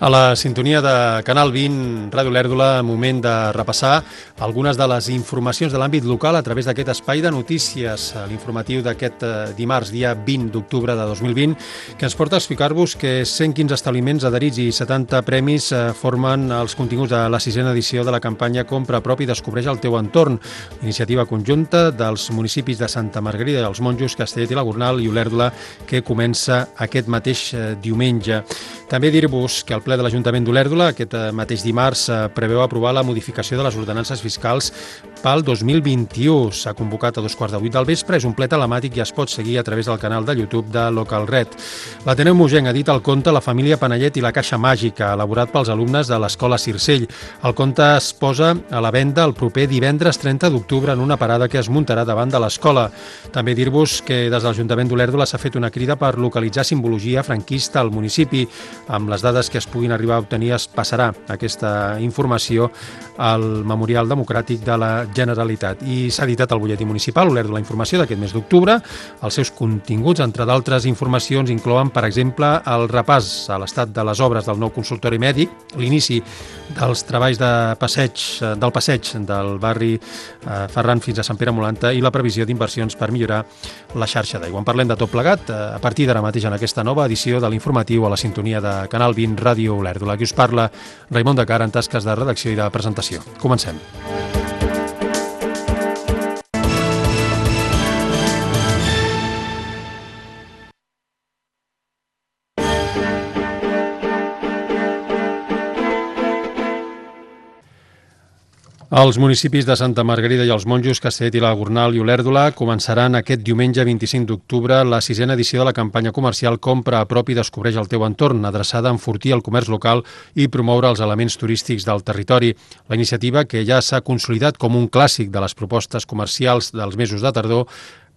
A la sintonia de Canal 20, Ràdio Olèrdola, moment de repassar algunes de les informacions de l'àmbit local a través d'aquest espai de notícies, l'informatiu d'aquest dimarts, dia 20 d'octubre de 2020, que ens porta a explicar-vos que 115 establiments adherits i 70 premis formen els continguts de la 6a edició de la campanya Compra a prop i descobreix el teu entorn, iniciativa conjunta dels municipis de Santa Margarida i els Monjos, Castellet i la Gornal i Olèrdola, que comença aquest mateix diumenge. També dir-vos que el ple de l'Ajuntament d'Olèrdola aquest mateix dimarts preveu aprovar la modificació de les ordenances fiscals pel 2021. S'ha convocat a 2:15 del vespre, és un ple telemàtic i es pot seguir a través del canal de YouTube de Local Red. L'Ateneu Mogenc ha dit el conte La família Panellet i la caixa màgica, elaborat pels alumnes de l'Escola Circell. El conte es posa a la venda el proper divendres 30 d'octubre en una parada que es muntarà davant de l'escola. També dir-vos que des de l'Ajuntament d'Olèrdola s'ha fet una crida per localitzar simbologia franquista al municipi. Amb les dades que es puguin arribar a obtenir es passarà aquesta informació al Memorial Democràtic de la Generalitat. I s'ha editat el butlletí municipal, Olèrdola Informació, d'aquest mes d'octubre. Els seus continguts, entre d'altres informacions, inclouen, per exemple, el repàs a l'estat de les obres del nou consultori mèdic, l'inici dels treballs del passeig del barri Ferran fins a Sant Pere Molanta i la previsió d'inversions per millorar la xarxa d'aigua. En parlem de tot plegat a partir d'ara mateix en aquesta nova edició de l'informatiu a la sintonia de Canal 20 Ràdio Olèrdola. Aquí us parla Raimon de Cara en tasques de redacció i de presentació. Comencem. Els municipis de Santa Margarida i els Monjos, Castellet i la Gornal i Olèrdola començaran aquest diumenge 25 d'octubre la 6a edició de la campanya comercial Compra a prop i descobreix el teu entorn, adreçada a enfortir el comerç local i promoure els elements turístics del territori. La iniciativa, que ja s'ha consolidat com un clàssic de les propostes comercials dels mesos de tardor,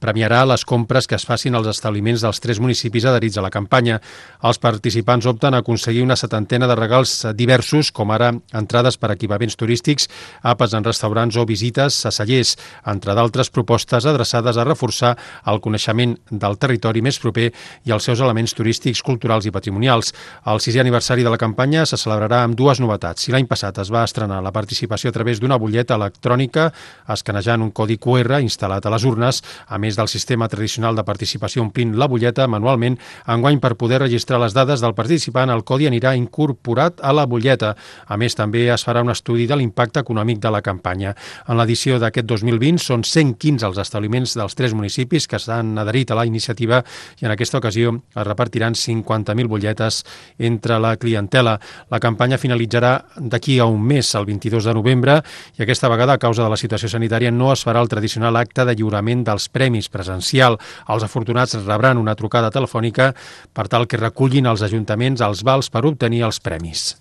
premiarà les compres que es facin als establiments dels 3 municipis adherits a la campanya. Els participants opten a aconseguir una 70ena de regals diversos, com ara entrades per equipaments turístics, àpats en restaurants o visites a cellers, entre d'altres propostes adreçades a reforçar el coneixement del territori més proper i els seus elements turístics, culturals i patrimonials. El 6è aniversari de la campanya se celebrarà amb 2 novetats. Si l'any passat es va estrenar la participació a través d'una butlleta electrònica, escanejant un codi QR instal·lat a les urnes, a més del sistema tradicional de participació omplint la butlleta manualment, enguany per poder registrar les dades del participant el codi anirà incorporat a la butlleta. A més, també es farà un estudi de l'impacte econòmic de la campanya. En l'edició d'aquest 2020 són 115 els establiments dels 3 municipis que s'han adherit a la iniciativa i en aquesta ocasió es repartiran 50.000 butlletes entre la clientela. La campanya finalitzarà d'aquí a un mes, el 22 de novembre, i aquesta vegada, a causa de la situació sanitària, no es farà el tradicional acte de lliurament dels premis presencial. Els afortunats rebran una trucada telefònica per tal que recullin els ajuntaments els vals per obtenir els premis.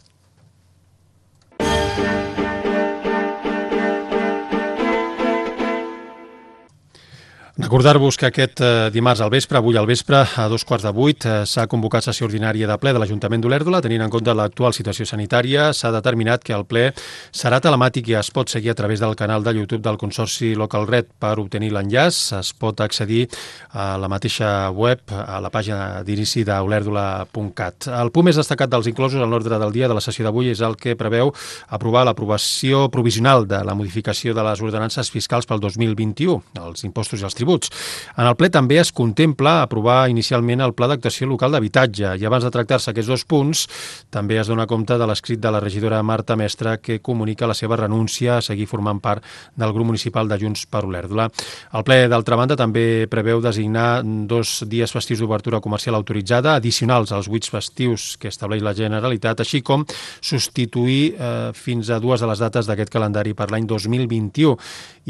Recordar-vos que aquest dimarts al vespre, avui al vespre, a 7:15, s'ha convocat sessió ordinària de ple de l'Ajuntament d'Olèrdola. Tenint en compte l'actual situació sanitària, s'ha determinat que el ple serà telemàtic i es pot seguir a través del canal de YouTube del Consorci Local Red. Per obtenir l'enllaç es pot accedir a la mateixa web, a la pàgina d'inici d'olèrdola.cat. El punt més destacat dels inclosos en l'ordre del dia de la sessió d'avui és el que preveu aprovar l'aprovació provisional de la modificació de les ordenances fiscals pel 2021, els impostos i els tributs. En el ple també es contempla aprovar inicialment el Pla d'Actuació Local d'Habitatge i abans de tractar-se aquests 2 punts també es dona compte de l'escrit de la regidora Marta Mestre que comunica la seva renúncia a seguir formant part del grup municipal de Junts per Olèrdola. El ple, d'altra banda, també preveu designar 2 dies festius d'obertura comercial autoritzada addicionals als 8 festius que estableix la Generalitat, així com substituir fins a 2 de les dates d'aquest calendari per l'any 2021.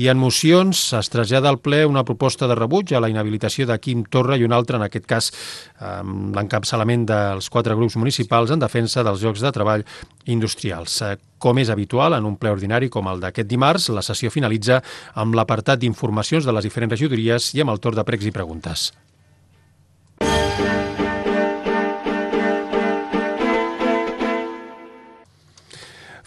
I en mocions es trasllada al ple una proposta de rebuig a la inhabilitació de Quim Torra i una altra, en aquest cas, l'encapçalament dels 4 grups municipals en defensa dels llocs de treball industrials. Com és habitual en un ple ordinari com el d'aquest dimarts, la sessió finalitza amb l'apartat d'informacions de les diferents regidories i amb el torn de pregs i preguntes.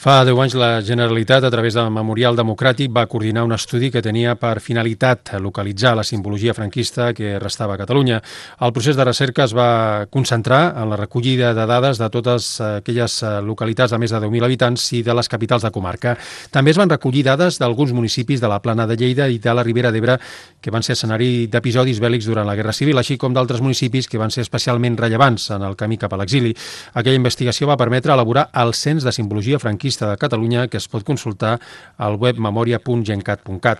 Fa 10 anys la Generalitat, a través del Memorial Democràtic, va coordinar un estudi que tenia per finalitat localitzar la simbologia franquista que restava a Catalunya. El procés de recerca es va concentrar en la recollida de dades de totes aquelles localitats de més de 10.000 habitants i de les capitals de comarca. També es van recollir dades d'alguns municipis de la Plana de Lleida i de la Ribera d'Ebre que van ser escenari d'episodis bèl·lics durant la Guerra Civil, així com d'altres municipis que van ser especialment rellevants en el camí cap a l'exili. Aquella investigació va permetre elaborar el Cens de Simbologia Franquista de Catalunya, que es pot consultar al web memoria.gencat.cat.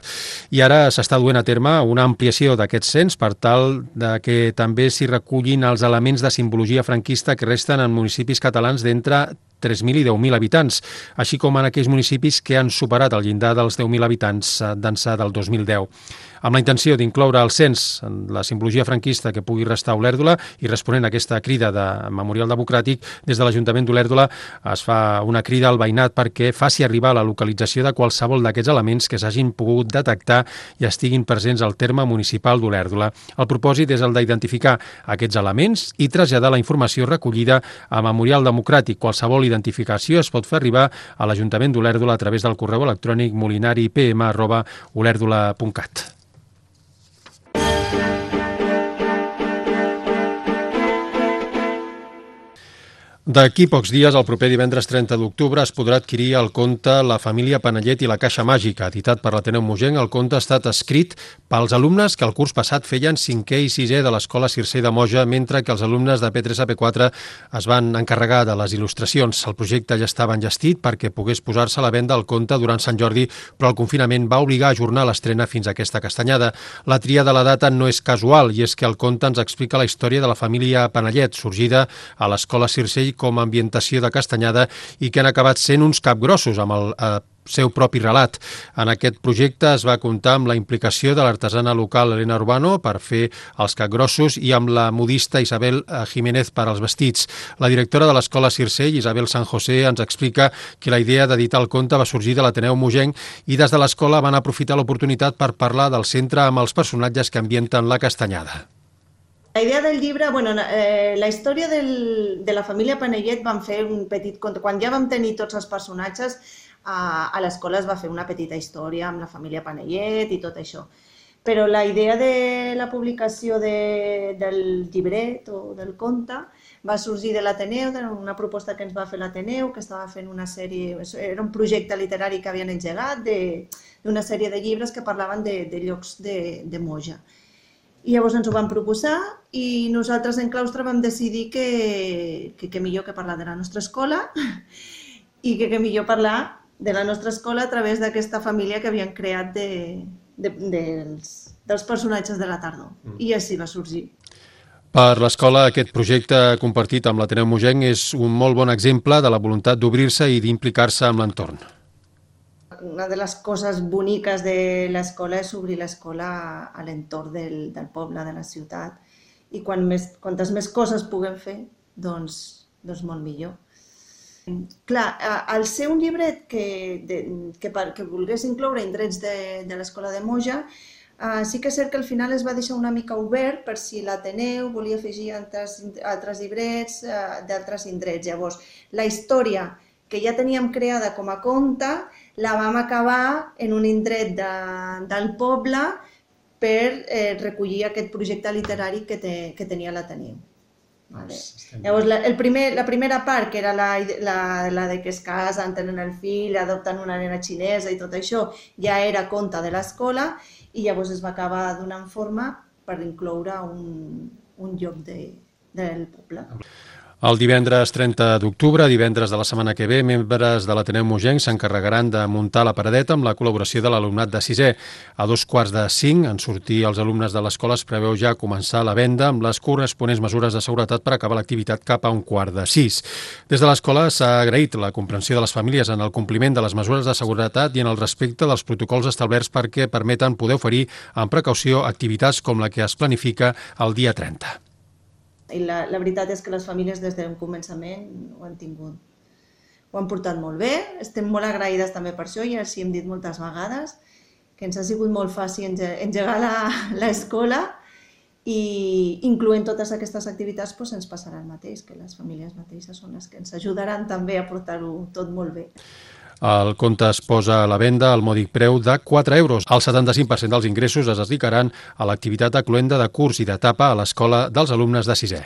I ara s'està duent a terme una ampliació d'aquest cens per tal de que també s'hi recullin els elements de simbologia franquista que resten en municipis catalans d'entre 3.000 i 10.000 habitants, així com en aquells municipis que han superat el llindar dels 10.000 habitants d'ençà del 2010. Amb la intenció d'incloure al cens la simbologia franquista que pugui restar a Olèrdola i responent a aquesta crida de Memorial Democràtic, des de l'Ajuntament d'Olèrdola es fa una crida al veïnat perquè faci arribar la localització de qualsevol d'aquests elements que s'hagin pogut detectar i estiguin presents al terme municipal d'Olèrdola. El propòsit és el d'identificar aquests elements i traslladar la informació recollida a Memorial Democràtic. Qualsevol identificació es pot fer arribar a l'Ajuntament d'Olèrdola a través del correu electrònic molinaripm@olèrdola.cat. D'aquí pocs dies, el proper divendres 30 d'octubre, es podrà adquirir el conte La família Panellet i la caixa màgica. Editat per l'Ateneu Mogenc, el conte ha estat escrit pels alumnes que el curs passat feien 5è i 6è de l'Escola Circell de Moja, mentre que els alumnes de P3 a P4 es van encarregar de les il·lustracions. El projecte ja estava enllestit perquè pogués posar-se a la venda el conte durant Sant Jordi, però el confinament va obligar a ajornar l'estrena fins a aquesta castanyada. La tria de la data no és casual, i és que el conte ens explica la història de la família Panellet, sorgida a l'Escola Circell com a ambientació de Castanyada i que han acabat sent uns capgrossos amb el seu propi relat. En aquest projecte es va comptar amb la implicació de l'artesana local Elena Urbano per fer els capgrossos i amb la modista Isabel Jiménez per als vestits. La directora de l'Escola Circell, Isabel San José, ens explica que la idea d'editar el conte va sorgir de l'Ateneu Mogenc i des de l'escola van aprofitar l'oportunitat per parlar del centre amb els personatges que ambienten la Castanyada. La idea del llibre, la història de la família Panellet vam fer un petit conte. Quan ja vam tenir tots els personatges, a l'escola es va fer una petita història amb la família Panellet i tot això. Però la idea de la publicació del llibret o del conte va sorgir de l'Ateneu, una proposta que ens va fer l'Ateneu, que estava fent una sèrie, era un projecte literari que havien engegat d'una sèrie de llibres que parlaven de llocs de Moja. I llavors ens ho vam proposar i nosaltres en claustre vam decidir que millor que parlar de la nostra escola i que millor parlar de la nostra escola a través d'aquesta família que havien creat dels personatges de la tardor. I així va sorgir. Per l'escola, aquest projecte compartit amb l'Ateneu Mogenc és un molt bon exemple de la voluntat d'obrir-se i d'implicar-se amb l'entorn. Una de les coses boniques de l'escola és obrir l'escola a l'entorn del poble, de la ciutat. I quantes més coses puguem fer, doncs molt millor. Clar, al ser un llibret que volgués incloure indrets de l'escola de Moja, sí que és cert que al final es va deixar una mica obert per si l'Ateneu volia afegir altres llibrets d'altres indrets. Llavors, la història que ja teníem creada com a conte la vam acabar en un indret del poble per recollir aquest projecte literari que tenia l'Ateneu. Llavors, la primera part, que era la de que es casen, tenen el fill, adopten una nena xinesa i tot això, ja era conte de l'escola i llavors es va acabar donant forma per incloure un lloc del poble. El divendres 30 d'octubre, divendres de la setmana que ve, membres de l'Ateneu Mogenc s'encarregaran de muntar la paradeta amb la col·laboració de l'alumnat de 6è. A 4:45, en sortir els alumnes de l'escola, es preveu ja començar la venda amb les corresponents mesures de seguretat per acabar l'activitat cap a 5:45. Des de l'escola s'ha agraït la comprensió de les famílies en el compliment de les mesures de seguretat i en el respecte dels protocols establerts perquè permeten poder oferir amb precaució activitats com la que es planifica el dia 30. I la veritat és que les famílies des d'un començament ho han tingut. Ho han portat molt bé, estem molt agraïdes també per això, ja els hi hem dit moltes vegades, que ens ha sigut molt fàcil engegar l'escola i incloent totes aquestes activitats ens passarà el mateix, que les famílies mateixes són les que ens ajudaran també a portar-ho tot molt bé. El compte es posa a la venda al mòdic preu de 4 euros. El 75% dels ingressos es dedicaran a l'activitat acloenda de curs i d'etapa a l'escola dels alumnes de 6è.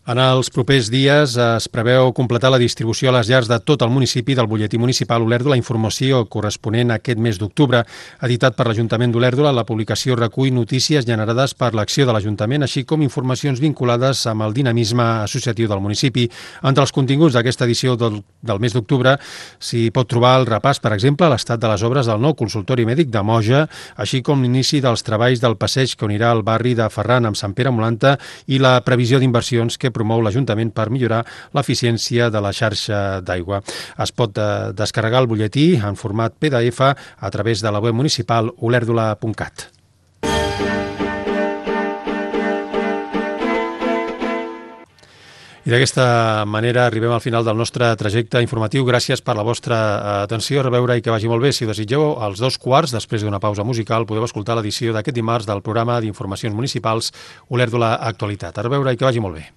En els propers dies es preveu completar la distribució a les llars de tot el municipi del butlletí municipal Olèrdola, informació corresponent a aquest mes d'octubre. Editat per l'Ajuntament d'Olèrdola, la publicació recull notícies generades per l'acció de l'Ajuntament, així com informacions vinculades amb el dinamisme associatiu del municipi. Entre els continguts d'aquesta edició del mes d'octubre s'hi pot trobar el repàs, per exemple, a l'estat de les obres del nou consultori mèdic de Moja, així com l'inici dels treballs del passeig que unirà el barri de Ferran amb Sant Pere Molanta i la previsió d'inversions que promou l'Ajuntament per millorar l'eficiència de la xarxa d'aigua. Es pot descarregar el butlletí en format PDF a través de la web municipal olèrdola.cat. I d'aquesta manera arribem al final del nostre trajecte informatiu. Gràcies per la vostra atenció. A reveure i que vagi molt bé. Si ho desitgeu, als 2:15, després d'una pausa musical, podeu escoltar l'edició d'aquest dimarts del programa d'informacions municipals Olèrdola Actualitat. A reveure i que vagi molt bé.